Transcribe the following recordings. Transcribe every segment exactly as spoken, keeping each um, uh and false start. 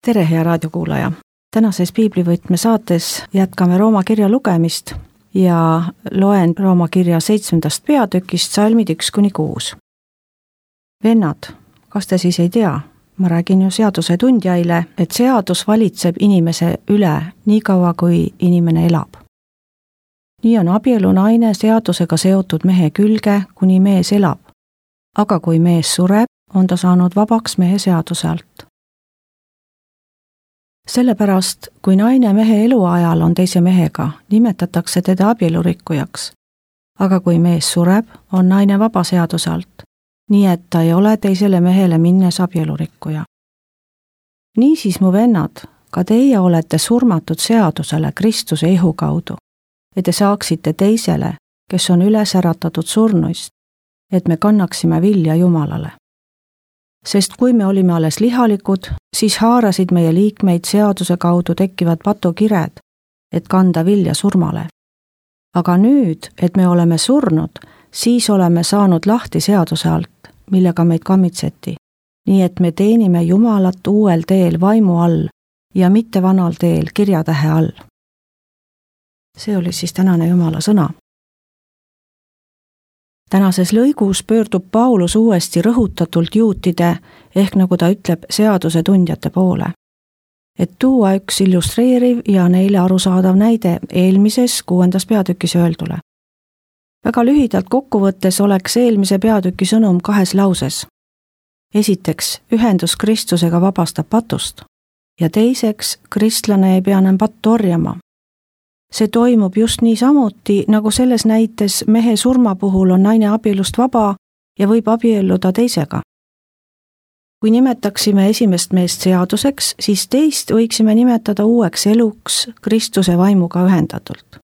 tere, hea raadiokuulaja! Tänases piiblivõtme saates jätkame Rooma kirja lugemist ja loen Rooma kirja seitsmendast peatükist salmid üks kuni kuus. Vennad, kas te siis ei tea? Ma räägin ju seaduse tundjaile, et seadus valitseb inimese üle nii kaua, kui inimene elab. Nii on abielu naine seadusega seotud mehe külge, kuni mees elab. Aga kui mees sureb, on ta saanud vabaks mehe seaduse alt. Sellepärast, kui naine mehe eluajal on teise mehega, nimetatakse teda abielurikkujaks. Aga kui mees sureb, on naine vaba seaduse alt, nii et ta ei ole teisele mehele minnes abielurikkuja. Niisiis, mu vennad, ka teie olete surmatud seadusele Kristuse ihu kaudu, et te saaksite teisele, kes on üles äratatud surnuist, et me kannaksime vilja Jumalale. Sest kui me olime alles lihalikud, siis haarasid meie liikmeid seaduse kaudu tekkivad patukired, et kanda vilja surmale. Aga nüüd, et me oleme surnud, siis oleme saanud lahti seaduse alt, millega meid kammitseti, nii et me teenime Jumalat uuel teel vaimu all ja mitte vanal teel kirjatähe all. See oli siis tänane Jumala sõna. Tänases lõigus pöördub Paulus uuesti rõhutatult juutide, ehk nagu ta ütleb, seaduse tundjate poole. Et tuua üks illustreeriv ja neile arusaadav näide eelmises kuuendas peatükis öeldule. Väga lühidalt kokkuvõttes oleks eelmise peatüki sõnum kahes lauses. Esiteks, ühendus Kristusega vabastab patust ja teiseks, kristlane ei pea enam pattu orjama. See toimub just nii samuti, nagu selles näites mehe surma puhul on naine abielust vaba ja võib abielluda teisega. Kui nimetaksime esimest meest seaduseks, siis teist võiksime nimetada uueks eluks Kristuse vaimuga ühendatult.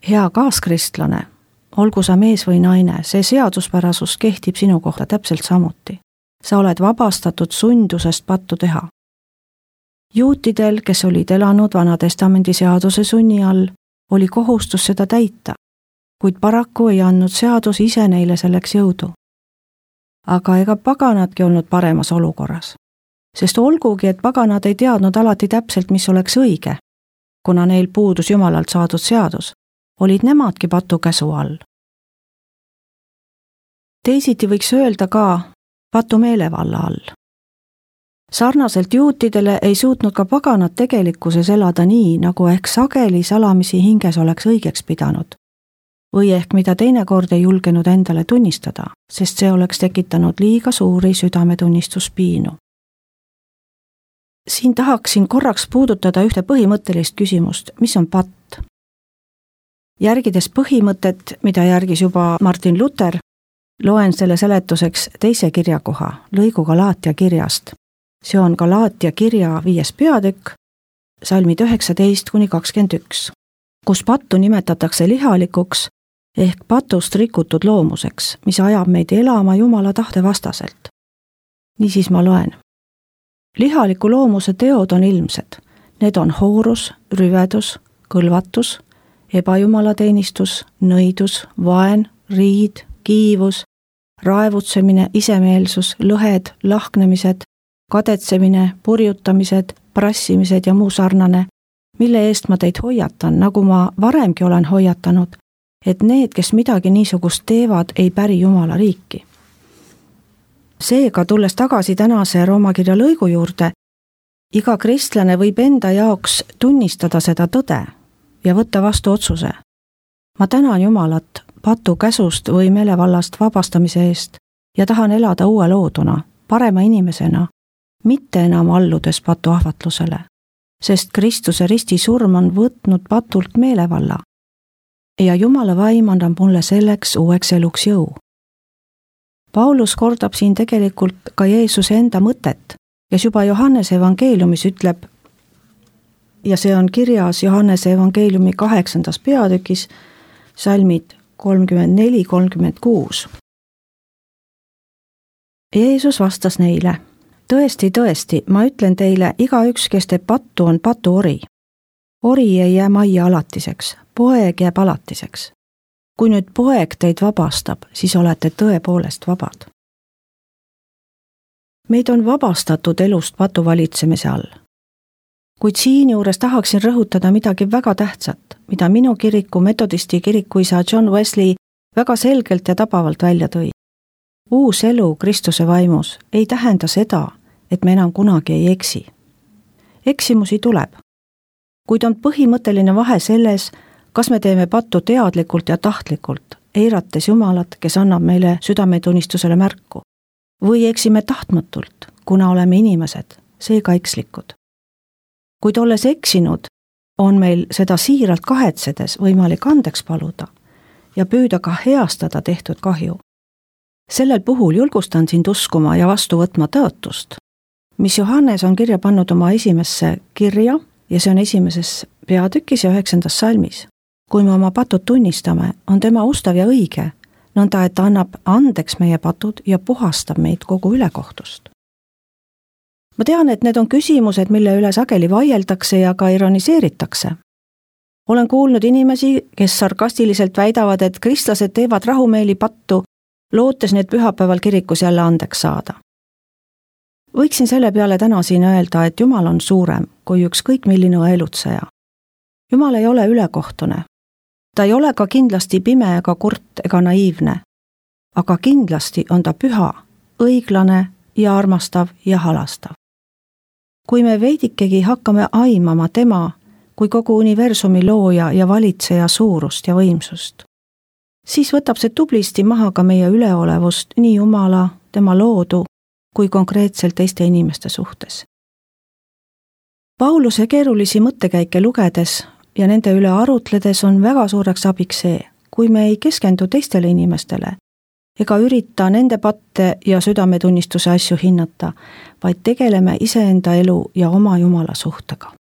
Hea kaaskristlane, olgu sa mees või naine, see seaduspärasus kehtib sinu kohta täpselt samuti. Sa oled vabastatud sundusest pattu teha. Juutidel, kes olid elanud Vana-testamendi seaduse sunni all, oli kohustus seda täita, kuid paraku ei andnud seadus ise neile selleks jõudu. Aga ega paganadki olnud paremas olukorras, sest olgugi, et paganad ei teadnud alati täpselt, mis oleks õige, kuna neil puudus Jumalalt saadud seadus, olid nemadki patukäsu all. Teisiti võiks öelda ka patu meelevalla all. Sarnaselt juutidele ei suutnud ka paganad tegelikkuses elada nii, nagu ehk sageli salamisi hinges oleks õigeks pidanud. Või ehk mida teinekord ei julgenud endale tunnistada, sest see oleks tekitanud liiga suuri südametunnistuspiinu. Siin tahaksin korraks puudutada ühte põhimõttelist küsimust, mis on patt. Järgides põhimõtet, mida järgis juba Martin Luther, loen selle seletuseks teise kirjakoha, lõigu Galaatia kirjast. See on Galaatia kirja viies peatükk, salmid üheksateist kuni kakskümmend üks, kus pattu nimetatakse lihalikuks ehk patust rikutud loomuseks, mis ajab meid elama Jumala tahte vastaselt. Niisiis ma loen. Lihaliku loomuse teod on ilmsed. Need on hoorus, rüvedus, kõlvatus, ebajumalateenistus, nõidus, vaen, riid, kiivus, raevutsemine, isemeelsus, lõhed, lahknemised, kadetsemine, purjutamised, prassimised ja muu sarnane, mille eest ma teid hoiatan, nagu ma varemgi olen hoiatanud, et need, kes midagi niisugust teevad, ei päri Jumala riiki. Seega, tulles tagasi tänase Rooma kirja lõigu juurde, iga kristlane võib enda jaoks tunnistada seda tõde ja võtta vastu otsuse. Ma tänan Jumalat patu käsust või meelevallast vabastamise eest ja tahan elada uue looduna, parema inimesena, mitte enam alludes patu ahvatlusele, sest Kristuse risti surm on võtnud patult meelevalla ja Jumala vaim annab mulle selleks uueks eluks jõu. Paulus kordab siin tegelikult ka Jeesuse enda mõtet, kes juba Johannese evangeeliumis ütleb, ja see on kirjas Johannese evangeeliumi kaheksandas peatükis, salmid kolmkümmend neli kolmkümmend kuus. Jeesus vastas neile, tõesti, tõesti, ma ütlen teile, igaüks, kes teeb pattu, on patuori. Ori ei jää majja alatiseks, poeg jääb alatiseks. Kui nüüd poeg teid vabastab, siis olete tõepoolest vabad. Meid on vabastatud elust patu valitsemise all. Kuid siinjuures tahaksin rõhutada midagi väga tähtsat, mida minu kiriku metodisti kirikuisa John Wesley väga selgelt ja tabavalt välja tõi. Uus elu Kristuse vaimus ei tähenda seda, et me enam kunagi ei eksi. Eksimusi tuleb, kuid on põhimõtteline vahe selles, kas me teeme pattu teadlikult ja tahtlikult, eirates Jumalat, kes annab meile südametunnistusele märku, või eksime tahtmatult, kuna oleme inimesed, seega ekslikud. Kuid olles eksinud, on meil seda siiralt kahetsedes võimalik andeks paluda ja püüda ka heastada tehtud kahju. Sellel puhul julgustan sind uskuma ja vastu võtma tõotust, mis Johannes on kirja pannud oma esimesse kirja ja see on esimeses peatükis ja üheksandas salmis. Kui me oma patud tunnistame, on tema ustav ja õige, nõnda et ta annab andeks meie patud ja puhastab meid kogu ülekohtust. Ma tean, et need on küsimused, mille üle sageli vaieldakse ja ka ironiseeritakse. Olen kuulnud inimesi, kes sarkastiliselt väidavad, et kristlased teevad rahumeeli pattu, lootes need pühapäeval kirikus jälle andeks saada. Võiksin selle peale täna siin öelda, et Jumal on suurem kui ükskõik milline elutseja. Jumal ei ole ülekohtune. Ta ei ole ka kindlasti pime ega kurt ega naiivne, aga kindlasti on ta püha, õiglane ja armastav ja halastav. Kui me veidikegi hakkame aimama tema kui kogu universumi looja ja valitseja suurust ja võimsust, siis võtab see tublisti maha ka meie üleolevust nii Jumala, tema loodu kui konkreetselt teiste inimeste suhtes. Pauluse keerulisi mõttekäike lugedes ja nende üle arutledes on väga suureks abiks see, kui me ei keskendu teistele inimestele ega ürita nende patte ja südametunnistuse asju hinnata, vaid tegeleme iseenda elu ja oma Jumala suhtega.